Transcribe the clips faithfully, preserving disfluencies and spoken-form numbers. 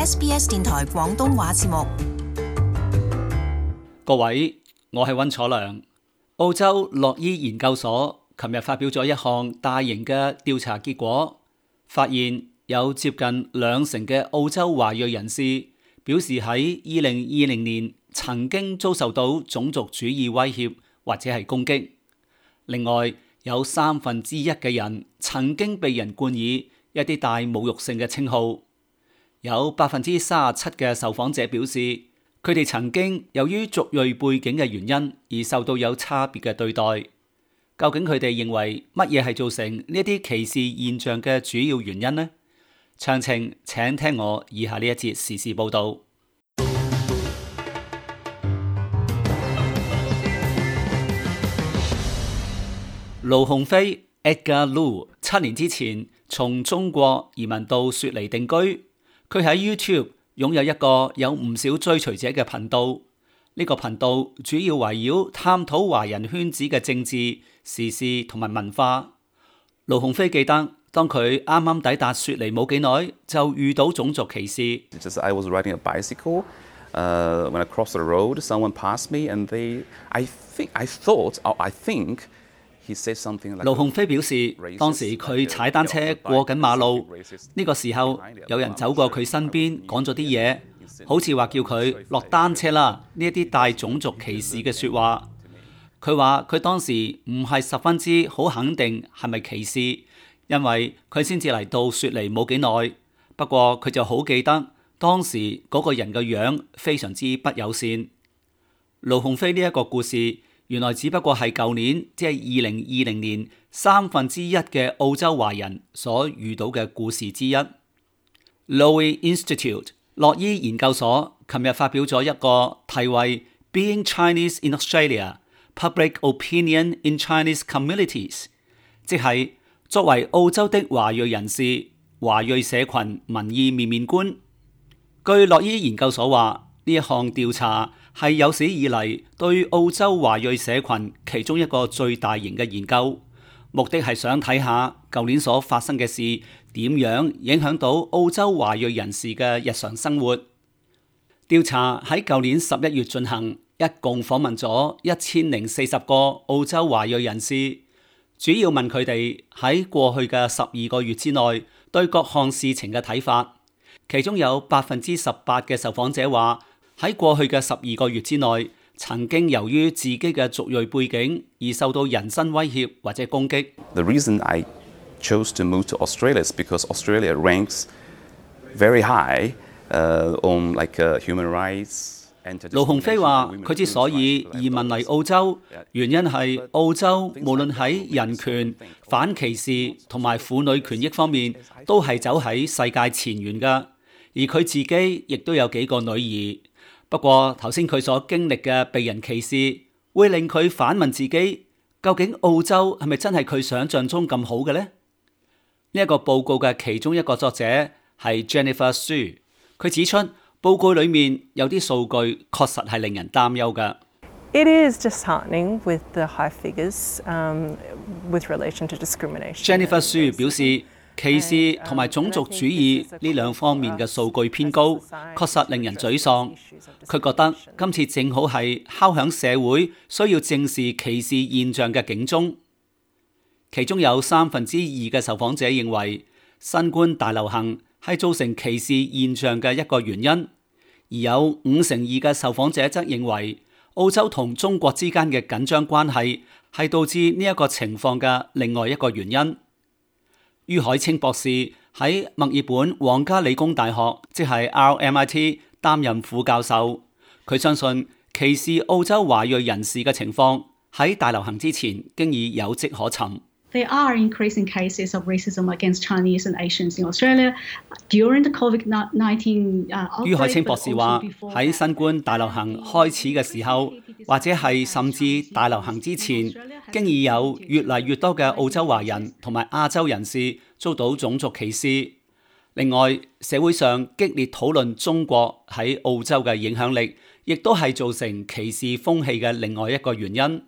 S B S 電台廣東話節目。各位，我係溫楚良。澳洲洛伊研究所琴日發表咗一項大型嘅調查結果，發現有接近兩成嘅澳洲華裔人士表示喺二零二零年曾經遭受到種族主義威脅或者係攻擊。另外，有三分之一嘅人曾經被人冠以一啲帶侮辱性嘅稱號。有百分之三十七嘅受訪者表示，佢哋曾經由於族裔背景嘅原因而受到有差別嘅對待。究竟佢哋認為乜嘢係造成呢啲歧視現象嘅主要原因呢？詳情請聽我以下呢一節時事報導。盧鴻飛 Edgar Lu 七年之前從中國移民到雪梨定居，佢喺 YouTube擁有一個有唔少追隨者嘅頻道。呢個頻道主要圍繞探討華人圈子嘅政治、時事同埋文化。盧鴻飛記得，當佢啱啱抵達雪梨冇幾耐，就遇到種族歧視。Just I was riding a bicycle, uh, when I crossed the road, someone passed me, and they, I think, I thought, oh, I think he said something like. 盧鴻飛表示，當時佢踩單車過緊馬路，呢個時候有人走過佢身邊，講咗啲嘢，好似話叫佢落單車啦，呢一啲帶種族歧視嘅説話。佢話佢當時唔係十分之好肯定係咪歧視，因為佢先至嚟到雪梨冇幾耐。不過佢就好記得當時嗰個人嘅樣非常之不友善。盧鴻飛呢一個故事原來只不過係舊年，即係二零二零年三分之一嘅澳洲華人所遇到嘅故事之一。Lowy Institute 洛伊研究所琴日發表咗一個題為 Being Chinese in Australia: Public Opinion in Chinese Communities， 即係作為澳洲的華裔人士，華裔社群民意面面觀。據洛伊研究所話，呢一項調查係有史以嚟對澳洲華裔社群其中一個最大型嘅研究，目的係想睇下舊年所發生嘅事點樣影響到澳洲華裔人士嘅日常生活。調查喺舊年十一月進行，一共訪問咗一千零四十個澳洲華裔人士，主要問佢哋喺過去嘅十二個月之內對各項事情嘅睇法。其中有百分之十八嘅受訪者話喺過去嘅十二個月之內，曾經由於自己嘅族裔背景而受到人身威脅或者攻擊。The reason I chose to move to Australia is because Australia ranks very high, uh, on like uh, human rights. 盧鴻飛話：佢之所以移民嚟澳洲，原因係澳洲無論喺人權、反歧視同埋婦女權益方面，都係走喺世界前沿㗎。而佢自己亦都有幾個女兒。不過頭先佢所經歷嘅被人歧視，會令佢反問自己：究竟澳洲係咪真係佢想象中咁好嘅呢？呢、這、一個報告嘅其中一個作者係 Jennifer Su， 佢指出報告裡面有啲數據確實係令人擔憂嘅。It is disheartening with the high figures, um, with relation to discrimination. Jennifer Su 表示，歧視同埋種族主義呢兩方面嘅數據偏高，確實令人沮喪。佢覺得今次正好係敲響社會需要正視歧視現象嘅警鐘。其中有三分之二嘅受訪者認為新冠大流行係造成歧視現象嘅一個原因，而有五成二嘅受訪者則認為澳洲同中國之間嘅緊張關係係導致呢一個情況嘅另外一個原因。于海清博士喺墨爾本皇家理工大學，即係 R M I T 擔任副教授。佢相信歧視澳洲華裔人士嘅情況喺大流行之前經已有跡可尋。There are increasing cases of racism against Chinese and Asians in Australia during the COVID nineteen outbreak. 于海清博士話：喺新冠大流行開始嘅時候，或者係甚至大流行之前，經已有越嚟越多嘅澳洲華人同埋亞洲人士遭到種族歧視。另外，社會上激烈討論中國喺澳洲嘅影響力，亦都係造成歧視風氣嘅另外一個原因。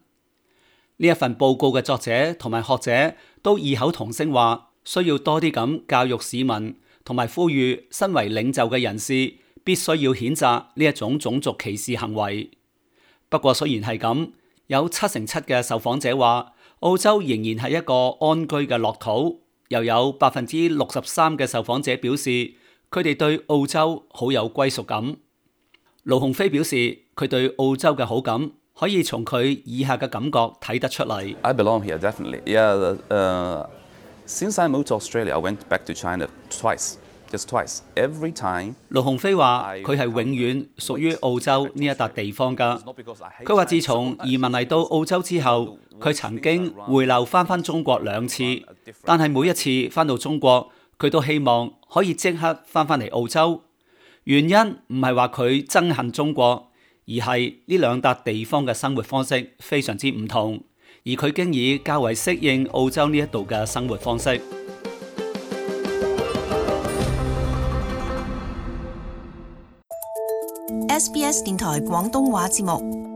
呢一份報告嘅作者同埋學者都異口同聲話，需要多啲咁教育市民同埋呼籲身為領袖嘅人士必須要譴責呢一種種族歧視行為。不過雖然係咁，有七成七嘅受訪者話澳洲仍然係一個安居嘅樂土，又有百分之六十三嘅受訪者表示佢哋對澳洲好有歸屬感。盧鴻飛表示佢對澳洲嘅好感可以從佢以下嘅感覺睇得出嚟。I belong here, definitely. Yeah, uh, since I moved to Australia, I went back to China twice, just twice. Every time. 盧鴻飛話佢係永遠屬於澳洲呢一笪地方㗎。佢話自從移民嚟到澳洲之後，佢曾經回流翻返中國兩次，但係每一次翻到中國，佢都希望可以即刻翻返嚟澳洲。原因唔係話佢憎恨中國，而係呢兩笪地方嘅生活方式非常之唔同，而佢經已較為適應澳洲呢一度嘅生活方式。S B S 電台廣東話節目。